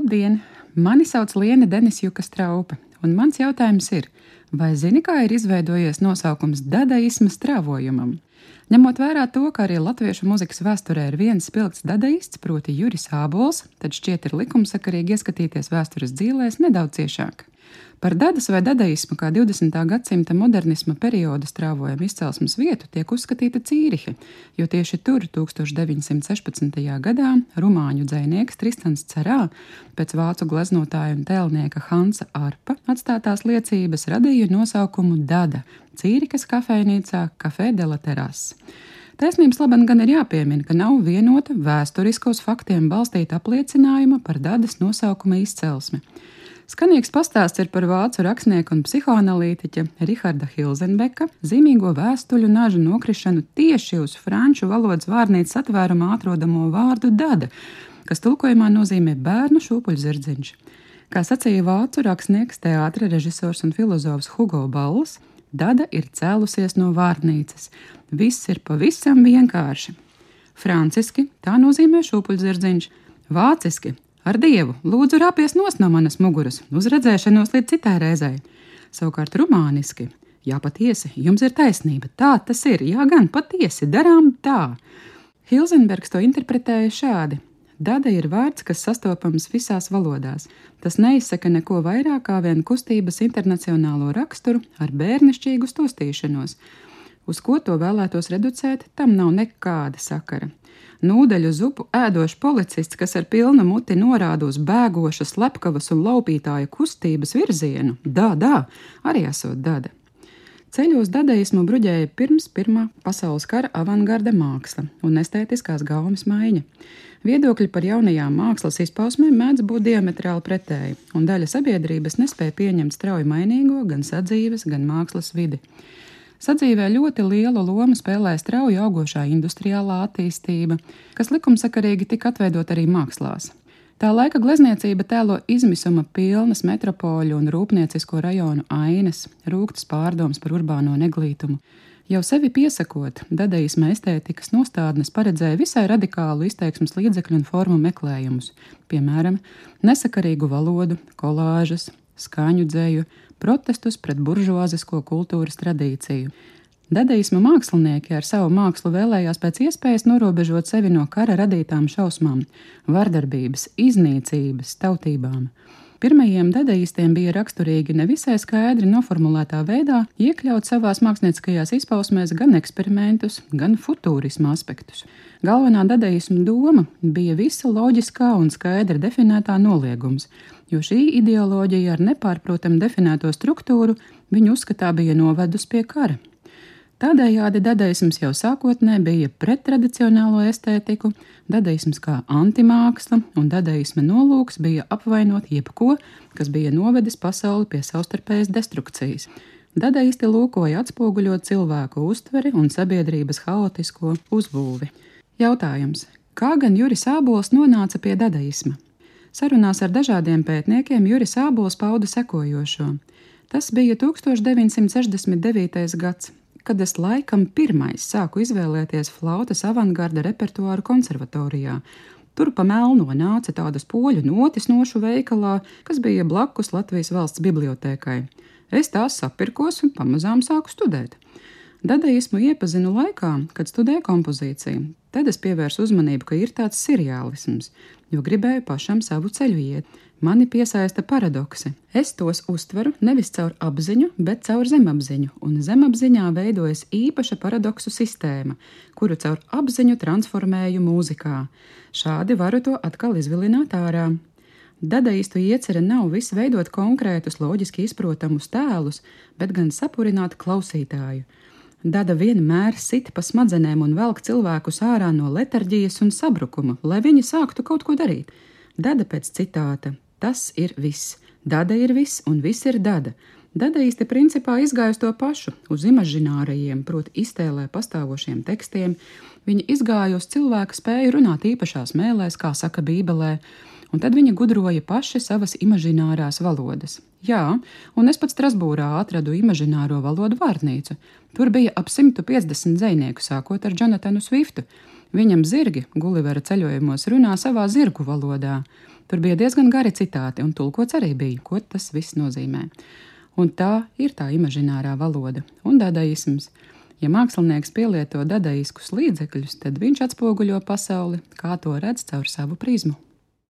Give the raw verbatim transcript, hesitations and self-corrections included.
Labdien! Mani sauc Liene Denisjuka Straupe, un mans jautājums ir, vai zini, kā ir izveidojies nosaukums dadaisma strāvojumam? Ņemot vērā to, ka arī latviešu mūzikas vēsturē ir viens spilgts dadaists, proti Juris Ābols, tad šķiet ir likumsakarīgi ieskatīties vēstures dzīlēs nedaudz ciešāk. Par dadas vai dadaismu kā divdesmitā gadsimta modernisma perioda strāvojuma izcelsmes vietu tiek uzskatīta Cīrihe, jo tieši tur tūkstoš deviņsimt sešpadsmitajā gadā rumāņu dzejnieks Tristans Cerā pēc vācu gleznotāja un tēlnieka Hansa Arpa atstātās liecības radīja nosaukumu Dada Cīrihes kafejnīcā Café de la Terrasse. Taisnības labam gan ir jāpiemina, ka nav vienota vēsturiskos faktiem balstīta apliecinājuma par dadas nosaukuma izcelsmi. Skanīgs pastāsts ir par vācu rakstnieku un psihoanalītiķa Riharda Hilzenbeka zīmīgo vēstuļu nažu nokrišanu tieši uz franču valodas vārnīcas atvērumā atrodamo vārdu dada, kas tulkojumā nozīmē bērnu šūpuļzirdziņš. Kā sacīja vācu rakstnieks, teātra režisors un filozofs Hugo Balls, dada ir cēlusies no vārnīcas. Viss ir pavisam vienkārši. Franciski tā nozīmē šūpuļzirdziņš, vāciski ar Dievu, lūdzu rāpies nos no manas muguras, uz redzēšanos līdz citai reizei. Savukārt rumāniski, jā, patiesi, jums ir taisnība, tā tas ir, jā gan, patiesi, darām tā. Hilzenbergs to interpretēja šādi. Dada ir vārds, kas sastopams visās valodās. Tas neizsaka neko vairāk kā vien kustības internacionālo raksturu ar bērnišķīgu stostīšanos. Uz ko to vēlētos reducēt, tam nav nekāda sakara. Nūdeļu zupu ēdošs policists, kas ar pilnu muti norāda uz bēgošas, slepkavas un laupītāja kustības virzienu, dā, dā, arī esot dada. Ceļos dadaismu bruģēja pirms Pirmā pasaules kara avangarda māksla un estētiskās gaumes maiņa. Viedokļi par jaunajām mākslas izpausmēm mēdz būt diametrāli pretēji, un daļa sabiedrības nespēja pieņemt strauji mainīgo gan sadzīves, gan mākslas vidi. Sadzīvē ļoti lielu lomu spēlē strauji augošā industriālā attīstība, kas likumsakarīgi tika atveidot arī mākslās. Tā laika glezniecība tēlo izmisuma pilnas metropoļu un rūpniecisko rajonu ainas, rūgtas pārdomas par urbāno neglītumu. Jau sevi piesakot, dadaisma estētikas nostādnes paredzēja visai radikālu izteiksmes līdzekļu un formu meklējumus, piemēram, nesakarīgu valodu, kolāžas, skaņu dzeju, protestus pret buržuāzisko kultūras tradīciju. Dadaisma mākslinieki ar savu mākslu vēlējās pēc iespējas norobežot sevi no kara radītām šausmām, vardarbības, iznīcības, tautībām. Pirmajiem dadaistiem bija raksturīgi nevisai skaidri noformulētā veidā iekļaut savās mākslinieckajās izpausmēs gan eksperimentus, gan futūrisma aspektus. Galvenā dadaisma doma bija visa loģiskā un skaidri definētā noliegums, jo šī ideoloģija ar nepārprotam definēto struktūru viņu uzskatā bija novedus pie kara. Tādējādi dadaisms jau sākotnē bija pret tradicionālo estētiku, dadaisms kā antimāksla, un dadaisma nolūks bija apvainot jebko, kas bija novedis pasauli pie savstarpējas destrukcijas. Dadaisti lūkoja atspoguļot cilvēku uztveri un sabiedrības haotisko uzbūvi. Jautājums: kā gan Juris Ābols nonāca pie dadaisma? Sarunās ar dažādiem pētniekiem Juris Ābols pauda sekojošo. Tas bija tūkstoš deviņsimt sešdesmit devītais gads, kad es laikam pirmais sāku izvēlēties flautas avangarda repertuāru konservatorijā. Tur pa melno nāca tādas poļu notis nošu veikalā, kas bija blakus Latvijas valsts bibliotēkai. Es tās sapirkos un pamazām sāku studēt. Dadaismu iepazinu laikā, kad studēju kompozīciju. Tad es pievērsu uzmanību, ka ir tāds seriālisms, jo gribēju pašam savu ceļu iet. Mani piesaista paradoksi. Es tos uztveru nevis caur apziņu, bet caur zemapziņu, un zemapziņā veidojas īpaša paradoksu sistēma, kuru caur apziņu transformēju mūzikā. Šādi varu to atkal izvilināt ārā. Dadaistu iecerē nav viss veidot konkrētus, loģiski izprotamus tēlus, bet gan sapurināt klausītāju. Dada vienmēr sit pa smadzenēm un velk cilvēkus ārā no letarģijas un sabrukuma, lai viņi sāktu kaut ko darīt. Dada pēc citāta: tas ir viss. Dada ir viss, un viss ir dada. Dadaisti principā izgāja uz to pašu, uz imažinārajiem, proti iztēlē pastāvošiem tekstiem. Viņi izgāja uz cilvēka spēju runāt īpašās mēlēs, kā saka Bībelē, un tad viņi gudroja paši savas imažinārās valodas. Jā, un es pat Strasbūrā atradu imažināro valodu vārnīcu. Tur bija ap simtu piecdesmit dzejnieku, sākot ar Jonatanu Swiftu. Viņam zirgi Gulivera ceļojumos runā savā zirgu valodā. Tur bija diezgan gari citāti, un tulkots arī bija, ko tas viss nozīmē. Un tā ir tā imažinārā valoda un dadaisms. Ja mākslinieks pielieto dadaiskus līdzekļus, tad viņš atspoguļo pasauli, kā to redz caur savu prizmu.